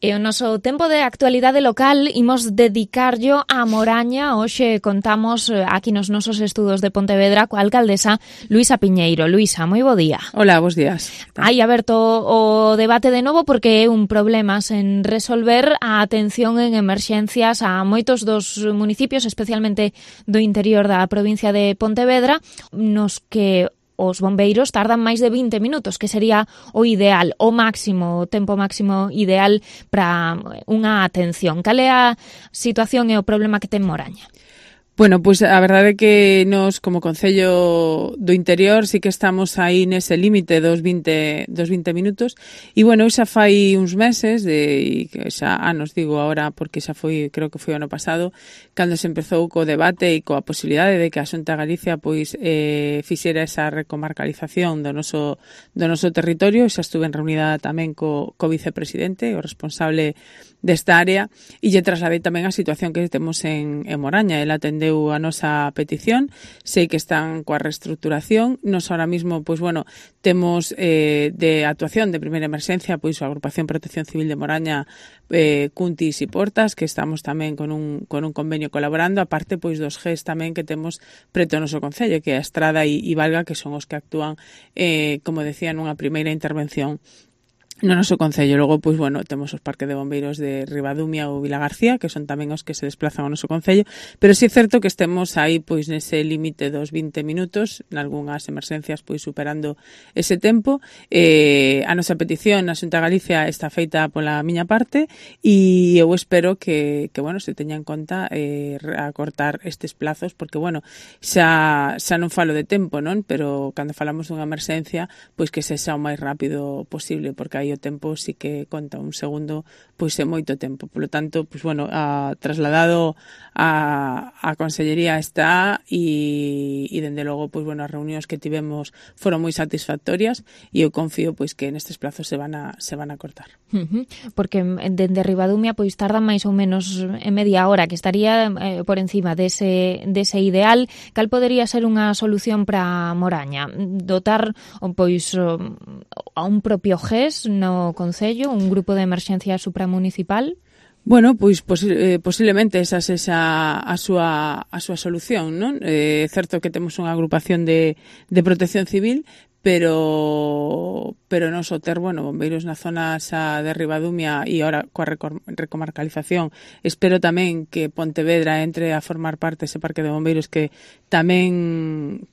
E o noso tempo de actualidade local imos dedicarlo a Moraña. Hoxe contamos aquí nos nosos estudos de Pontevedra coa alcaldesa Luisa Piñeiro. Luisa, moi bo día. Hola, bos días. Hai aberto o debate de novo porque é un problema sen resolver a atención en emerxencias a moitos dos municipios, especialmente do interior da provincia de Pontevedra, nos que os bombeiros tardan máis de 20 minutos, que sería o ideal, o tempo máximo ideal para unha atención. Cal é a situación e o problema que ten Moraña? Bueno, pois a verdade é que nos, como Concello do Interior, sí que estamos aí nese límite dos 20 minutos. E, bueno, xa fai uns meses, xa anos digo agora, porque xa foi, creo que foi o ano pasado, cando se empezou co debate e coa posibilidade de que a Xunta de Galicia pois fixera esa recomarcalización do noso territorio. Xa estuve reunida tamén co vicepresidente, o responsable desta área, e lle trasladei tamén a situación que temos en Moraña. Ela atendeu a nosa petición, sei que están coa reestructuración. Nos ahora mismo, pois bueno, temos de actuación de primeira emerxencia, pois a Agrupación Protección Civil de Moraña, Cuntis e Portas, que estamos tamén con un convenio colaborando, aparte pois dos GES tamén que temos preto ao noso concello, que é a Estrada e Valga, que son os que actúan, como decía, nunha primeira intervención no noso concello. Logo, pois, bueno, temos os parques de bombeiros de Ribadumia ou Vilagarcía, que son tamén os que se desplazan ao noso concello, pero sí é certo que estemos aí, pois, nese límite dos 20 minutos, nalgúnas emerxencias, pois, superando ese tempo. A nosa petición na Xunta de Galicia está feita pola miña parte e eu espero que bueno, se teña en conta acortar estes plazos, porque, bueno, xa non falo de tempo, non? Pero cando falamos dunha emerxencia, pois que sexa o máis rápido posible, porque aí o tempo sí que conta, un segundo pois é moito tempo. Por lo tanto, pois bueno, trasladado a Consellería está e dende logo, pois bueno, as reunións que tivemos foron moi satisfactorias e eu confío pois que nestes plazos se van a cortar. Porque dende Ribadumia pois tardan máis ou menos en media hora, que estaría por encima dese ideal. Cal podería ser unha solución para Moraña? Dotar pois a un propio GES no Concello, un grupo de emerxencia supramunicipal? Bueno, pois posiblemente esa sexa a súa solución, non? É certo que temos unha agrupación de protección civil, pero non só ter, bueno, bombeiros na zona xa de Ribadumia e ahora coa recomarcalización. Espero tamén que Pontevedra entre a formar parte ese parque de bombeiros que tamén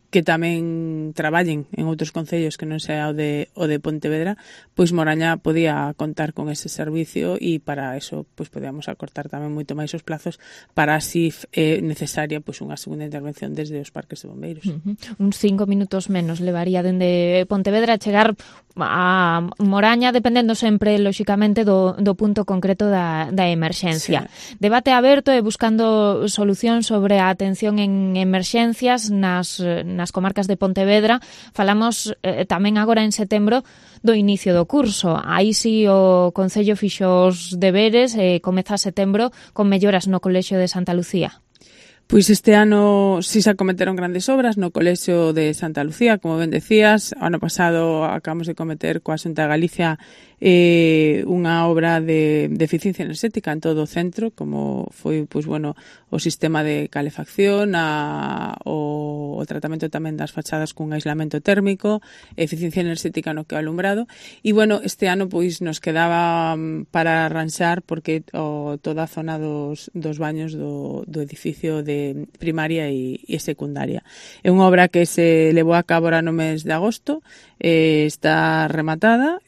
traballen en outros concellos que non sea o de Pontevedra, pois Moraña podía contar con ese servicio e para eso pois podíamos acortar tamén moito máis os plazos para así necesaria pois unha segunda intervención desde os parques de bombeiros. Uns 5 minutos menos levaría dende Pontevedra a chegar a Moraña, dependendo sempre, lóxicamente, do punto concreto da emerxencia. Sí. Debate aberto e buscando solucións sobre a atención en emerxencias nas comarcas de Pontevedra. Falamos tamén agora en setembro do inicio do curso. Aí si o Concello fixo os deberes e comeza setembro con melloras no Colexio de Santa Lucía. Pois este ano si se acometeron grandes obras no Colexio de Santa Lucía, como ben decías. O ano pasado acabamos de cometer coa Xunta de Galicia unha obra de eficiencia enerxética en todo o centro, como foi pois bueno, o sistema de calefacción, o tratamento tamén das fachadas cun aislamento térmico, eficiencia enerxética no que o alumbrado. E bueno, este ano pois nos quedaba para arranxar porque toda a zona dos baños do edificio de primaria e secundaria. É unha obra que se levou a cabo no mes de agosto, está rematada,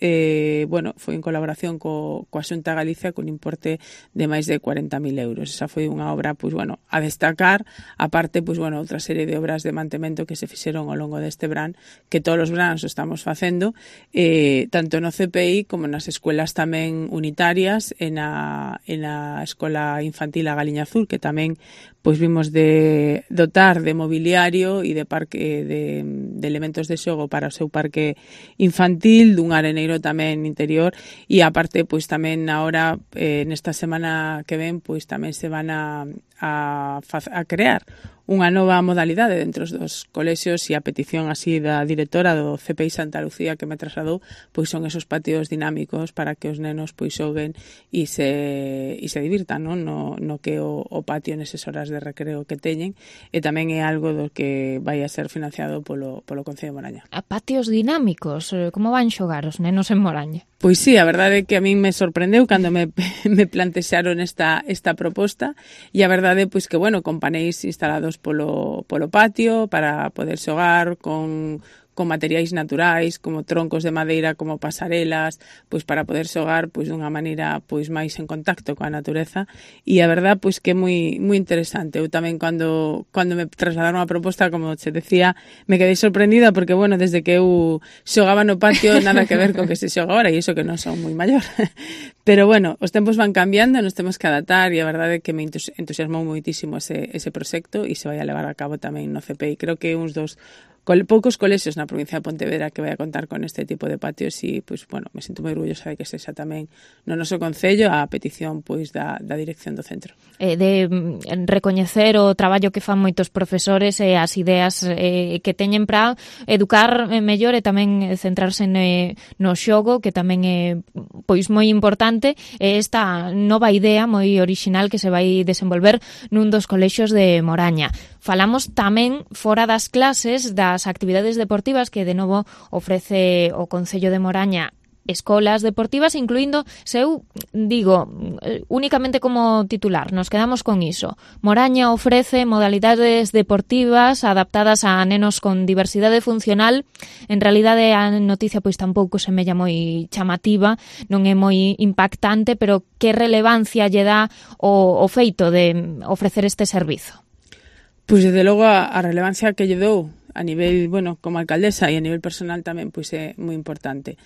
bueno, foi en colaboración coa Xunta de Galicia con importe de máis de 40.000 euros. Esa foi unha obra, pois bueno, a destacar, aparte, pois bueno, outra serie de obras de mantemento que se fixeron ao longo deste verán, que todos os veranos estamos facendo, tanto no CPI como nas escuelas tamén unitarias, e na Escola Infantil A Galiña Azul, que tamén pois vimos de dotar de mobiliario e de parque de elementos de xogo para o seu parque infantil, dun areneiro tamén interior, e aparte pois tamén agora nesta semana que ven pois tamén se van a crear unha nova modalidade dentro dos colexios, e a petición así da directora do CPI Santa Lucía que me trasladou, pois son esos patios dinámicos para que os nenos pois xoguen e se divirtan, non? No que o patio neses horas de recreo que teñen, e tamén é algo do que vai a ser financiado polo Concello de Moraña. A patios dinámicos, como van xogar os nenos en Moraña? Pois sí, a verdade é que a min me sorprendeu cando me plantexaron esta proposta, e a verdade é pois que, bueno, con paneis instalados polo patio para poder xogar con materiais naturais, como troncos de madeira, como pasarelas, pois para poder xogar pois dunha maneira pois máis en contacto coa natureza, e a verdade pois que é moi interesante. Eu tamén cando me trasladaron a proposta, como che decía, me quedei sorprendida porque, bueno, desde que eu xogaba no patio nada que ver co que se xoga agora, e iso que non son moi maior. Pero, bueno, os tempos van cambiando, nos temos que adaptar, e a verdade é que me entusiasmou moitísimo ese proxecto, e se vai a levar a cabo tamén no CPI. Creo que uns dos poucos colexios na provincia de Pontevedra que vai a contar con este tipo de patios, e, pois, bueno, me sinto moi orgullosa de que sexa tamén no noso concello a petición, pois, da dirección do centro. De recoñecer o traballo que fan moitos profesores e as ideas que teñen para educar mellor, e tamén centrarse no xogo, que tamén é, pois, moi importante, esta nova idea moi orixinal que se vai desenvolver nun dos colexios de Moraña. Falamos tamén fora das clases das actividades deportivas que de novo ofrece o Concello de Moraña, escolas deportivas, incluindo, se eu digo únicamente como titular, nos quedamos con iso. Moraña ofrece modalidades deportivas adaptadas a nenos con diversidade funcional. En realidade a noticia pois tampouco semella moi chamativa, non é moi impactante, pero que relevancia lle dá o feito de ofrecer este servizo? Pois, desde logo, a relevancia que lle dou a nivel, bueno, como alcaldesa e a nivel personal tamén, pois é moi importante.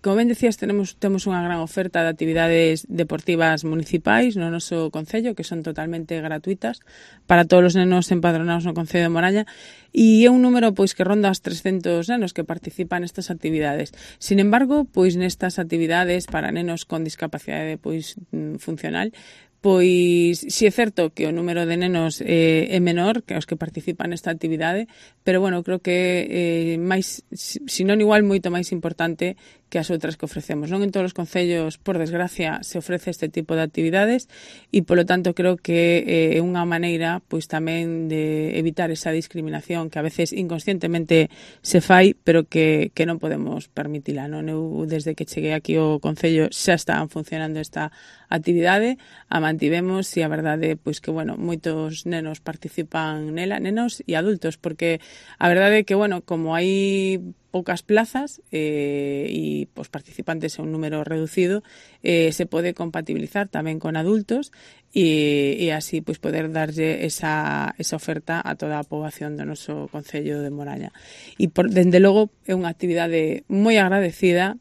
Como ben decías, temos unha gran oferta de actividades deportivas municipais no noso concello, que son totalmente gratuitas para todos os nenos empadronados no Concello de Moraña, e é un número pois que ronda os 300 nenos que participan nestas actividades. Sin embargo, pois nestas actividades para nenos con discapacidade pois funcional, pois si é certo que o número de nenos é menor que os que participan nesta actividade, pero, bueno, creo que máis, se non igual, moito máis importante que as outras que ofrecemos. Non en todos os concellos, por desgracia, se ofrece este tipo de actividades, e, polo tanto, creo que é unha maneira pois tamén de evitar esa discriminación que a veces inconscientemente se fai, pero que non podemos permitila, non? Eu, desde que cheguei aquí ao concello, xa estaban funcionando esta actividade, a mantivemos, e a verdade pois que, bueno, moitos nenos participan nela, nenos e adultos, porque a verdade é que, bueno, como hai poucas plazas e os participantes é un número reducido, se pode compatibilizar tamén con adultos e así pois poder darlle esa oferta a toda a poboación do noso Concello de Moraña. E, dende logo, é unha actividade moi agradecida,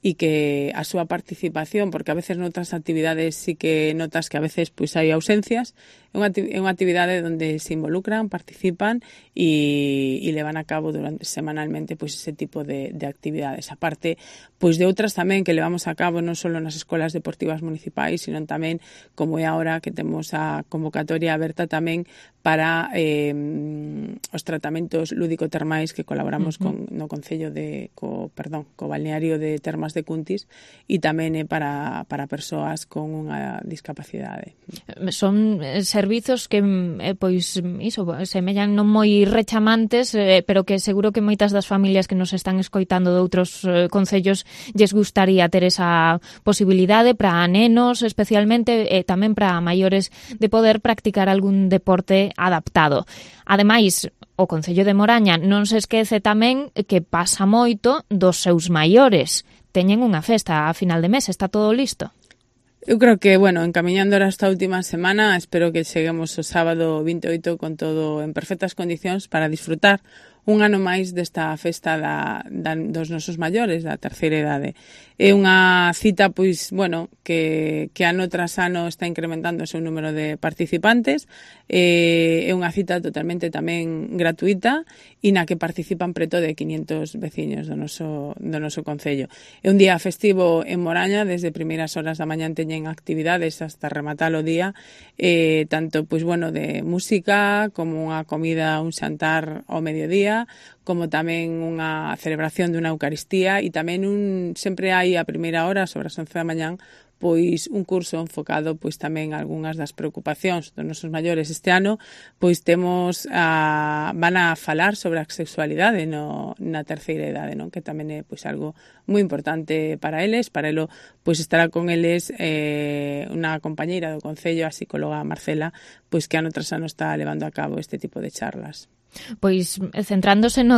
e que a súa participación, porque a veces noutras actividades sí que notas que a veces pois hai ausencias, é unha actividade onde se involucran, participan e levan a cabo semanalmente pois ese tipo de actividades. A parte pois de outras tamén que levamos a cabo non só nas escolas deportivas municipais, sino tamén, como é agora, que temos a convocatoria aberta tamén para os tratamentos lúdico-termais que colaboramos no Concello co balneario de Termas de Cuntis, e tamén é para persoas con unha discapacidade. Son servizos que pois iso semellan non moi rechamantes, pero que seguro que moitas das familias que nos están escoitando de outros concellos lles gustaría ter esa posibilidade para nenos especialmente, e tamén para maiores, de poder practicar algún deporte adaptado. Ademais, o Concello de Moraña non se esquece tamén que pasa moito dos seus maiores. Teñen unha festa a final de mes, está todo listo? Eu creo que, bueno, encamiñando esta última semana, espero que cheguemos o sábado 28 con todo en perfectas condicións para disfrutar un ano máis desta festa dos nosos maiores, da terceira idade. É unha cita, pois, bueno, que ano tras ano está incrementando o seu número de participantes. É unha cita totalmente tamén gratuita e na que participan preto de 500 veciños do noso concello. É un día festivo en Moraña, desde primeiras horas da mañá teñen actividades hasta rematar o día, tanto, pois, bueno, de música, como unha comida, un xantar ao mediodía, como tamén unha celebración dunha Eucaristía e tamén sempre hai a primeira hora, sobre as 11 da mañán, pois un curso enfocado pois tamén a algunhas das preocupacións dos nosos maiores. Este ano pois van a falar sobre a sexualidade na terceira idade, non? Que tamén é pois algo moi importante para eles. Para elo pois estará con eles unha compañeira do Concello, a psicóloga Marcela, pois que ano tras ano está levando a cabo este tipo de charlas. Pois centrándose no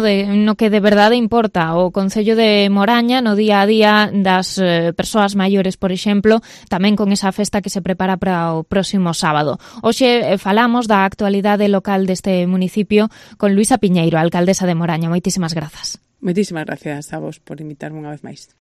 que de verdade importa o Concello de Moraña no día a día das persoas maiores, por exemplo, tamén con esa festa que se prepara para o próximo sábado. Hoxe falamos da actualidade local deste municipio con Luisa Piñeiro, alcaldesa de Moraña. Moitísimas grazas. Moitísimas gracias a vos por invitarme unha vez máis.